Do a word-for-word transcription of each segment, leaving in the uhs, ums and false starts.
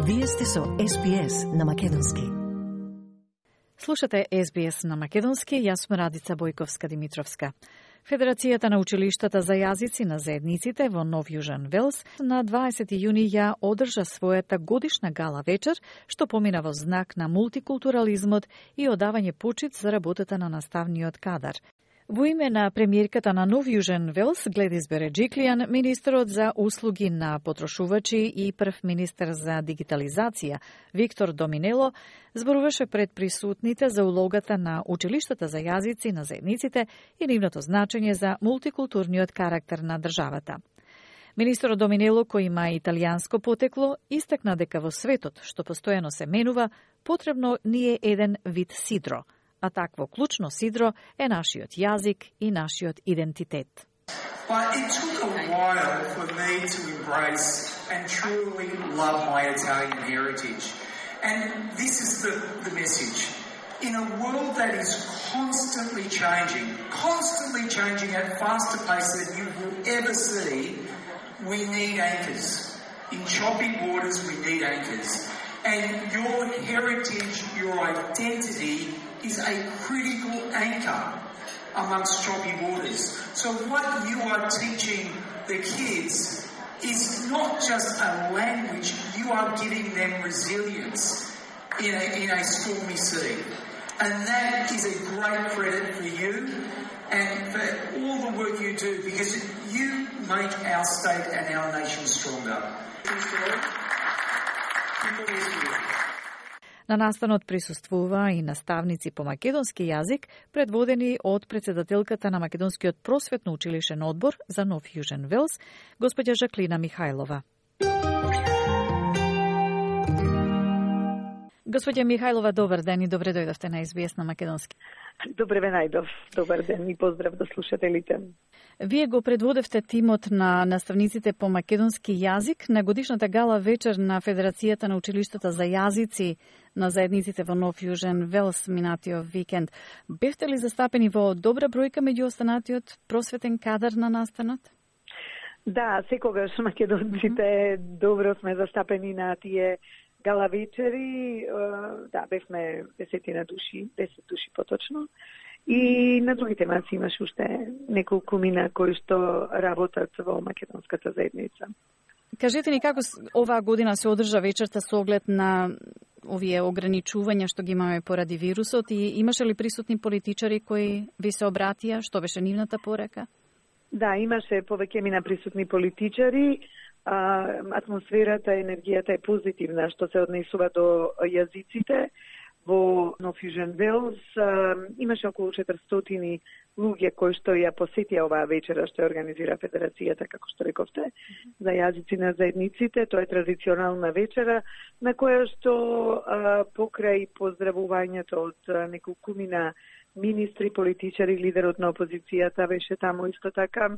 Вие сте со Ес Би Ес на Македонски. Слушате Ес Би Ес на Македонски, јас сум Радица Бојковска-Димитровска. Федерацијата на училиштата за јазици на заедниците во Нов Јужен Велс на дваесети јуни ја одржа својата годишна гала вечер, што помина во знак на мултикултурализмот и одавање почит за работата на наставниот кадар. Во име на премиерката на Нов Јужен Велс, Гледис Береджиклијан, министерот за услуги на потрошувачи и прв министер за дигитализација, Виктор Доминело, зборуваше пред присутните за улогата на училиштата за јазици на заедниците и нивното значење за мултикултурниот карактер на државата. Министерот Доминело, кој има италијанско потекло, истакна дека во светот, што постојано се менува, потребно ни е еден вид сидро, а такво клучно сидро е нашиот јазик и нашиот идентитет. But it took a while for me to embrace and truly love my Italian heritage. And this is the, the message. In a world that is constantly changing, constantly changing at faster pace than you will ever see, we need anchors. In choppy waters, we need anchors. And your heritage, your identity is a critical anchor amongst choppy waters. So what you are teaching the kids is not just a language, you are giving them resilience in a, in a stormy sea. And that is a great credit for you and for all the work you do, because you make our state and our nation stronger. На настанот присуствува и наставници по македонски јазик, предводени од председателката на Македонскиот просветно училишен одбор за Нов Јужен Велс, господја Жаклина Михајлова. Господја Михајлова, добар ден и добре дојдовте на Ес Би Ес на Македонски. Добре ве најдов. Добар ден и поздрав до слушателите. Вие го предводевте тимот на наставниците по македонски јазик на годишната гала вечер на Федерацијата на училиштата за јазици на заедниците во Нов Јужен Велс минатиот викенд. Бевте ли застапени во добра бројка меѓу останатиот просветен кадар на настанот? Да, секогаш македонците добро сме застапени на тие гала вечери. Да, бевме десетина души, десет души поточно. И на други темаци имаш уште неколку мина кои што работат во македонската заедница. Кажете ни како оваа година се одржа вечерта со оглед на овие ограничувања што ги имаме поради вирусот и имаше ли присутни политичари кои ви се обратија? Што беше нивната порека? Да, имаше повеќе мина присутни политичари. А, атмосферата, енергијата е позитивна што се однесува до јазиците. Во Нов Јужен Велс имаше околу четиристотини луѓе кои што ја посетија оваа вечера што ја организира Федерацијата, како што рековте, за јазици на заедниците. Тоа е традиционална вечера на која што а, покрај поздравувањето од неколкумина министри, политичари, лидерот на опозицијата беше таму исто така.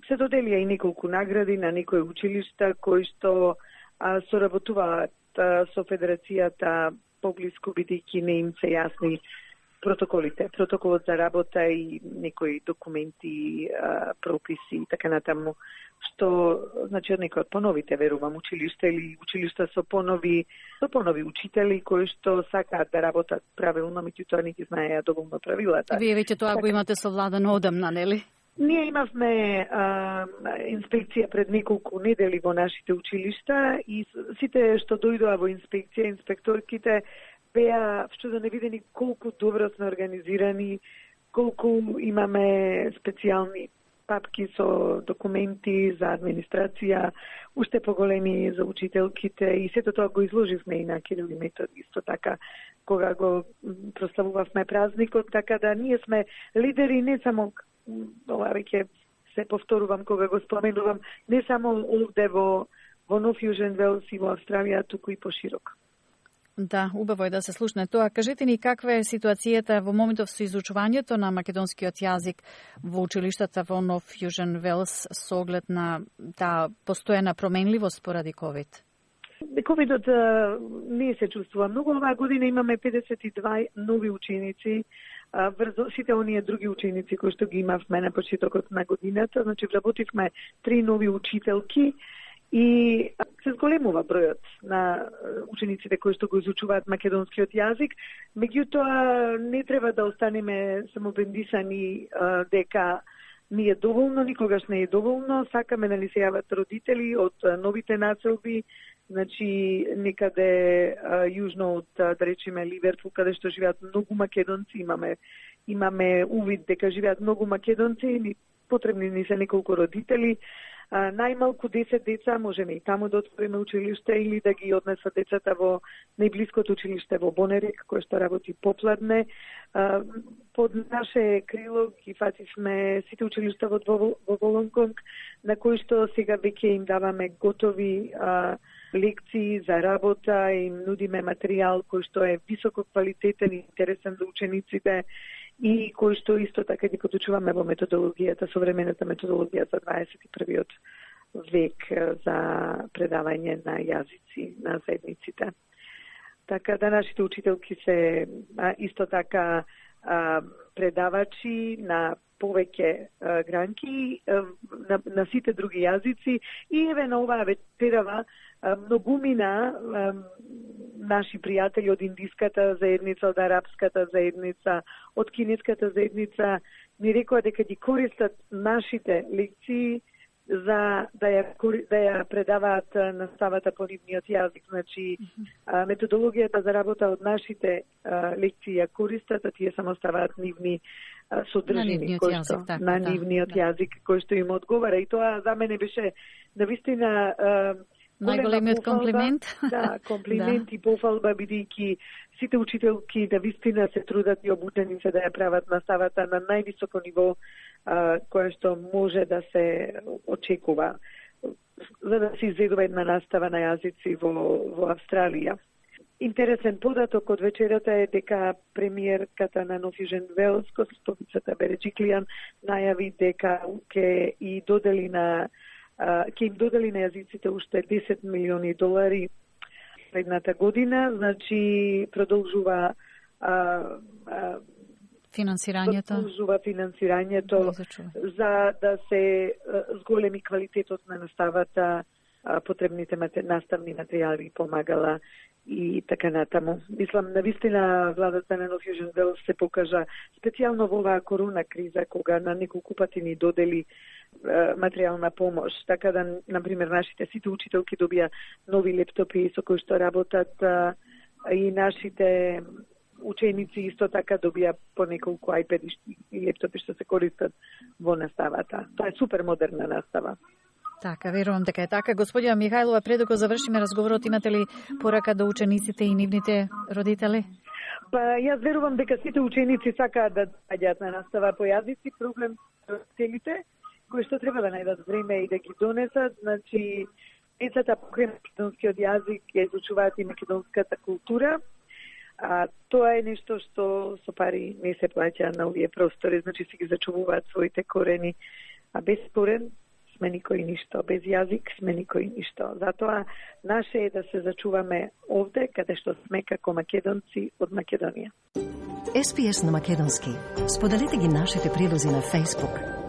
Се доделија и неколку награди на некои училишта кои што а, соработуваат а, со Федерацијата поблиску, бидејќи не им се јасни протоколите, протоколот за работа и некои документи, а, прописи и така натаму, што значи од некои од поновите, верувам, училишта или училишта со понови, со понови учители кои што сакаат да работат правилно, меѓутоа не ги знаеа доволно правилата. Вие веќе тоа го имате совладано одамна, нели? Ние имавме а, инспекција пред неколку недели во нашите училишта и сите што дојдоа во инспекција, инспекторките беа вчудени видени колку добро сме организирани, колку имаме специјални папки со документи за администрација, уште поголеми за учителките и сето тоа го изложивме и на Кирил и Метод исто така кога го прославувавме празникот, така да ние сме лидери не само ова веќе се повторувам кога го споменувам, не само овде во, во Нов Јужен Велс и во Австралија, туку и пошироко. Да, убаво е да се слушне тоа. Кажете ни каква е ситуацијата во моментов со изучувањето на македонскиот јазик во училиштата во Нов Јужен Велс со оглед на таа постојана променливост поради ковид? Ковидот не се чувствува многу. Оваа година имаме педесет и два нови ученици, врз сите оние други ученици кои што ги имавме на почетокот на годината. Значи, вработивме три нови учителки И се зголемува бројот на учениците кои што го изучуваат македонскиот јазик, меѓутоа не треба да останеме самобендисани дека ни е доволно, никогаш не е доволно, сакаме да ни се јават родители од новите населби, значи некаде а, јужно од, да речеме, Ливерпул, каде што живеат многу македонци, имаме имаме увид дека живеат многу македонци, и потребни ни се неколку родители. А, најмалку десет деца можеме и таму да отвориме училиште или да ги однесат децата во најблиското училиште во Бонерек, кој што работи попладне. А, под наше крило ги фативме сите училишта во, во Волонгонг, на кои што сега веќе им даваме готови а, лекции за работа, им нудиме материјал кој што е високо квалитетен и интересен за учениците, и кој што исто така ги подучуваме во методологијата, современата методологија за дваесет и првиот век за предавање на јазици на заедниците. Така да нашите учителки се а, исто така а, предавачи на повеќе а, гранки, а, на, на сите други јазици, и еве на оваа вечерава многумина а, наши пријатели од индиската заедница, од арапската заедница, од кинеската заедница ни рекоа дека ги користат нашите лекции за да ја, да ја предаваат наставата по нивниот јазик. Значи, а, методологијата за работа од нашите а, лекции ја користат, а тие само ставаат нивни а, содржини, кои што, јазик, така, на нивниот да, јазик, кој што им одговара. И тоа за мене беше навистина а, најголемиот комплимент. Да, комплимент и пофалба, бидејќи сите учителки да вистина се трудат и обучени се да ја прават наставата на највисоко ниво а, кое што може да се очекува за да се изведува една настава на јазици во, во Австралија. Интересен податок од вечерата е дека премиерката на Нов Јужен Велс, госпожицата Береджиклијан, најави дека ќе и додели на ќе им додели на јазиците уште десет милиони долари следната година, значи продолжува а, а, финансирањето, продолжува финансирањето за да се зголеми квалитетот на наставата, потребните наставни материјали, помагала и така натаму. Мислам, навистина владата на Нов Јужен Велс се покажа специјално во оваа корона криза, кога на неколку пати ни додели материјална помош, така да, например, нашите сите учителки добија нови лептопи со кои што работат, а, и нашите ученици исто така добија по неколку ајпеди и лептопи што се користат во наставата. Тоа е супер модерна настава. Така, верувам дека е така. Господја Михајлова, пред да го завршиме разговорот, имате ли порака до учениците и нивните родители? Па, јас верувам дека сите ученици сакаат да доаѓаат на настава по јазици. Проблем родителите кои што треба да најдат време и да ги донесат. Значи, децата покрај македонскиот јазик ја изучуваат и македонската култура. А тоа е нешто што со пари не се плаќа на овие простори, значи си ги зачувуваат своите корени. А без корен сме никој ништо, без јазик сме никој ништо. Затоа наше е да се зачуваме овде, каде што сме како македонци од Македонија. Ес Би Ес на македонски. Споделете ги нашите прилози на Facebook.